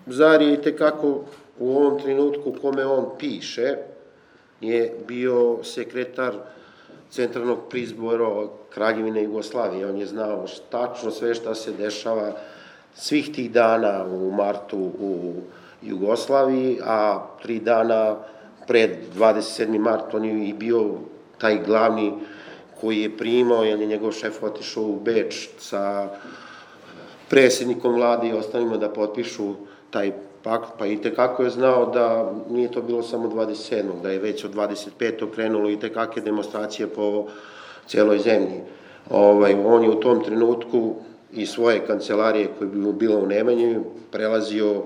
Zar je itekako u ovom trenutku u kome on piše je bio sekretar Centralnog prizbora Kraljevine Jugoslavije. On je znao tačno sve šta se dešava svih tih dana u martu u Jugoslaviji, a 3 dana pred 27. mart on je i bio taj glavni koji je primao, jer je njegov šef otišao u Beč sa predsjednikom vlade i ostalima da potpišu taj pakt, pa itekako je znao da nije to bilo samo 27. da je već od 25. krenulo itekake demonstracije po celoj zemlji. On je u tom trenutku i svoje kancelarije koje bi mu bila u Nemanji prelazio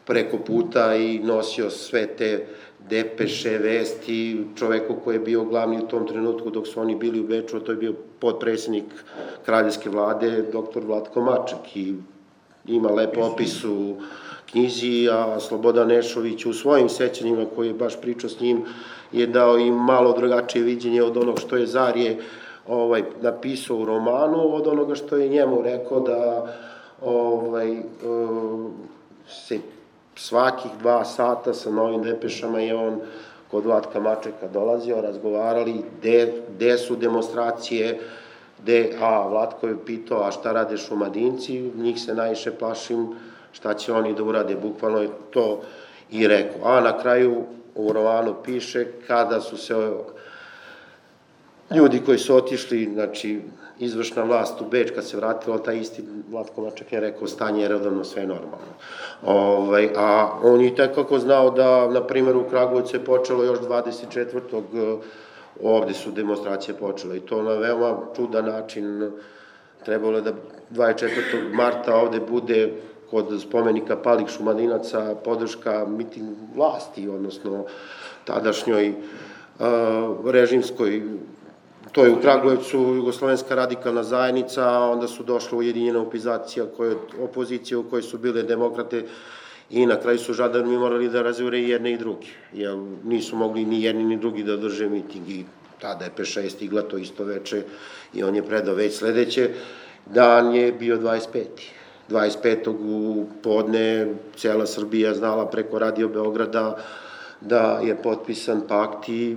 preko puta i nosio sve te depeše, vesti čoveku koji je bio glavni u tom trenutku dok su oni bili u Beču, a to je bio potpredsjednik kraljevske vlade, dr. Vlatko Maček, i ima lep opis u knjizi, a Slobodan Nešović u svojim sećanjima koji je baš pričao s njim je dao im malo drugačije viđenje od onog što je Zarje napisao u romanu, od onoga što je njemu rekao da se svakih 2 sata sa novim depešama je on kod Vlatka Mačeka dolazio, razgovarali gde su demonstracije, Vlatko je pitao, a šta rade Šumadinci, njih se najviše plašim, šta će oni da urade, bukvalno je to i rekao. A na kraju u romanu piše kada su se ljudi koji su otišli, znači izvršna vlast u Beč, kad se vratila, taj isti Vlatko Maček je rekao stanje je redovno, sve normalno. A on je tekako znao da, na primjer, u Kragujevcu je počelo još 24. ovde su demonstracije počele i to na veoma čudan način. Trebalo je da 24. marta ovde bude kod spomenika palih Šumadinaca podrška miting vlasti, odnosno tadašnjoj režimskoj. To je u Kragujevcu Jugoslovenska radikalna zajednica, a onda su došla ujedinjena opozicija u kojoj su bile demokrate i na kraju su žandarmi morali da razjure i jedne i druge, jer nisu mogli ni jedni ni drugi da održe miting i tada je Peša je stigla to isto veče i on je predao već sledeće. Dan je bio 25. 25. u podne cela Srbija znala preko Radio Beograda da je potpisan pakt i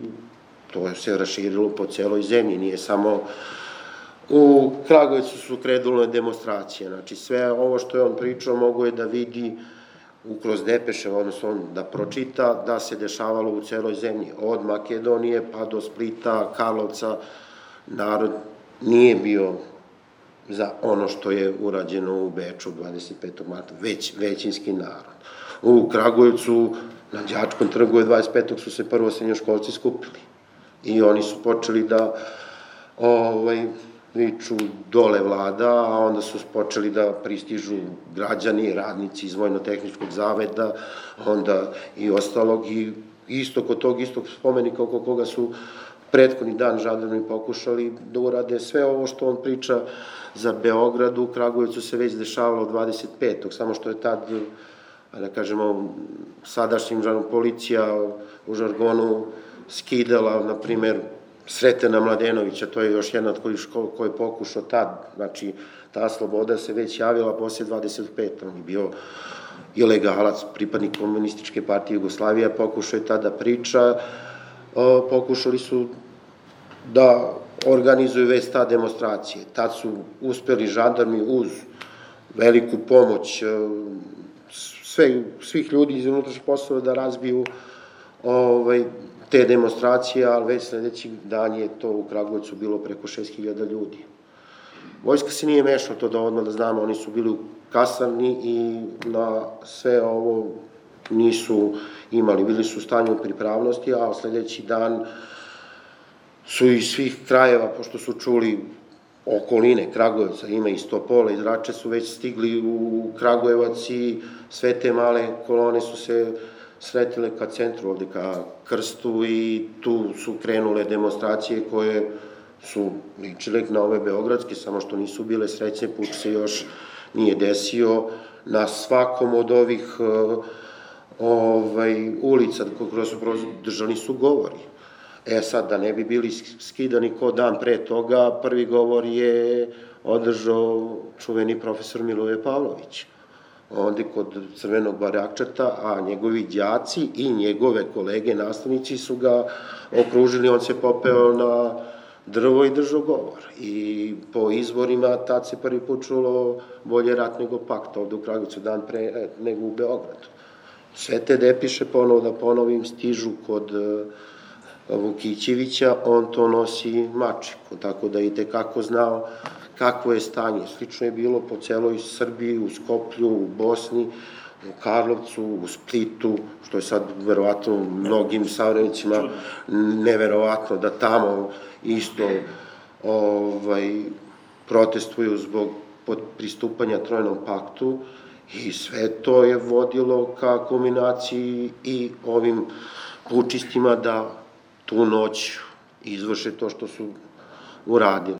to se raširilo po celoj zemlji, nije samo u Kragujevcu su krenule demonstracije. Znači sve ovo što je on pričao mogo je da vidi kroz depeše, odnosno on da pročita da se dešavalo u celoj zemlji, od Makedonije pa do Splita, Karlovca. Narod nije bio za ono što je urađeno u Beču 25. marta, već većinski narod. U Kragujevcu na Đačkom trgu 25. su se prvo srednjoškolci skupili i oni su počeli da viču dole vlada, a onda su počeli da pristižu građani, radnici iz Vojno-tehničkog zaveda, onda i ostalog, i isto kod tog istog spomenika oko koga su prethodni dan žandarmi pokušali da urade sve ovo što on priča za Beograd. U Kragujevcu se već dešavalo 25. samo što je tad, da kažemo, sadašnjim policija u žargonu skidala, na primer, Sretena Mladenovića, to je još jedna koji je pokušao tad, znači ta sloboda se već javila posle 25. On je bio ilegalac, pripadnik Komunističke partije Jugoslavije, pokušao je tada priča, pokušali su da organizuju već ta demonstracije. Tad su uspeli žandarmi uz veliku pomoć svih ljudi iz unutrašnjih poslova da razbiju te demonstracije, ali već sledeći dan je to u Kragujevcu bilo preko 6.000 ljudi. Vojska se nije mešala, to da odmah da znamo, oni su bili u kasarni i na sve ovo nisu imali, bili su u stanju pripravnosti, a sledeći dan su iz svih krajeva, pošto su čuli okoline Kragujevca, ima iz Topola, iz Rače, su već stigli u Kragujevac i sve te male kolone su se sretile ka centru, ovde ka Krstu, i tu su krenule demonstracije koje su ličile na ove beogradske, samo što nisu bile srećne, puč se još nije desio. Na svakom od ovih ulica koje su držani su govori. Sad, da ne bi bili skidani ko dan pre toga, prvi govor je održao čuveni profesor Miloje Pavlović. onda kod Crvenog barjakčeta, a njegovi đaci i njegove kolege, nastavnici su ga okružili, on se popeo na drvo i držao govor. I po izvorima tad se prvi put čulo bolje rat nego pakt, ovde u Kragujevcu dan pre nego u Beogradu. Sve te depiše, ponovo da ponovim, stižu kod Vukićevića, on to nosi mačiku, tako da i tekako znao kakvo je stanje. Slično je bilo po celoj Srbiji, u Skoplju, u Bosni, u Karlovcu, u Splitu, što je sad verovatno mnogim savremenicima neverovatno da tamo isto protestuju zbog pristupanja Trojnom paktu, i sve to je vodilo ka kulminaciji i ovim pučistima da tu noć izvrše to što su uradili.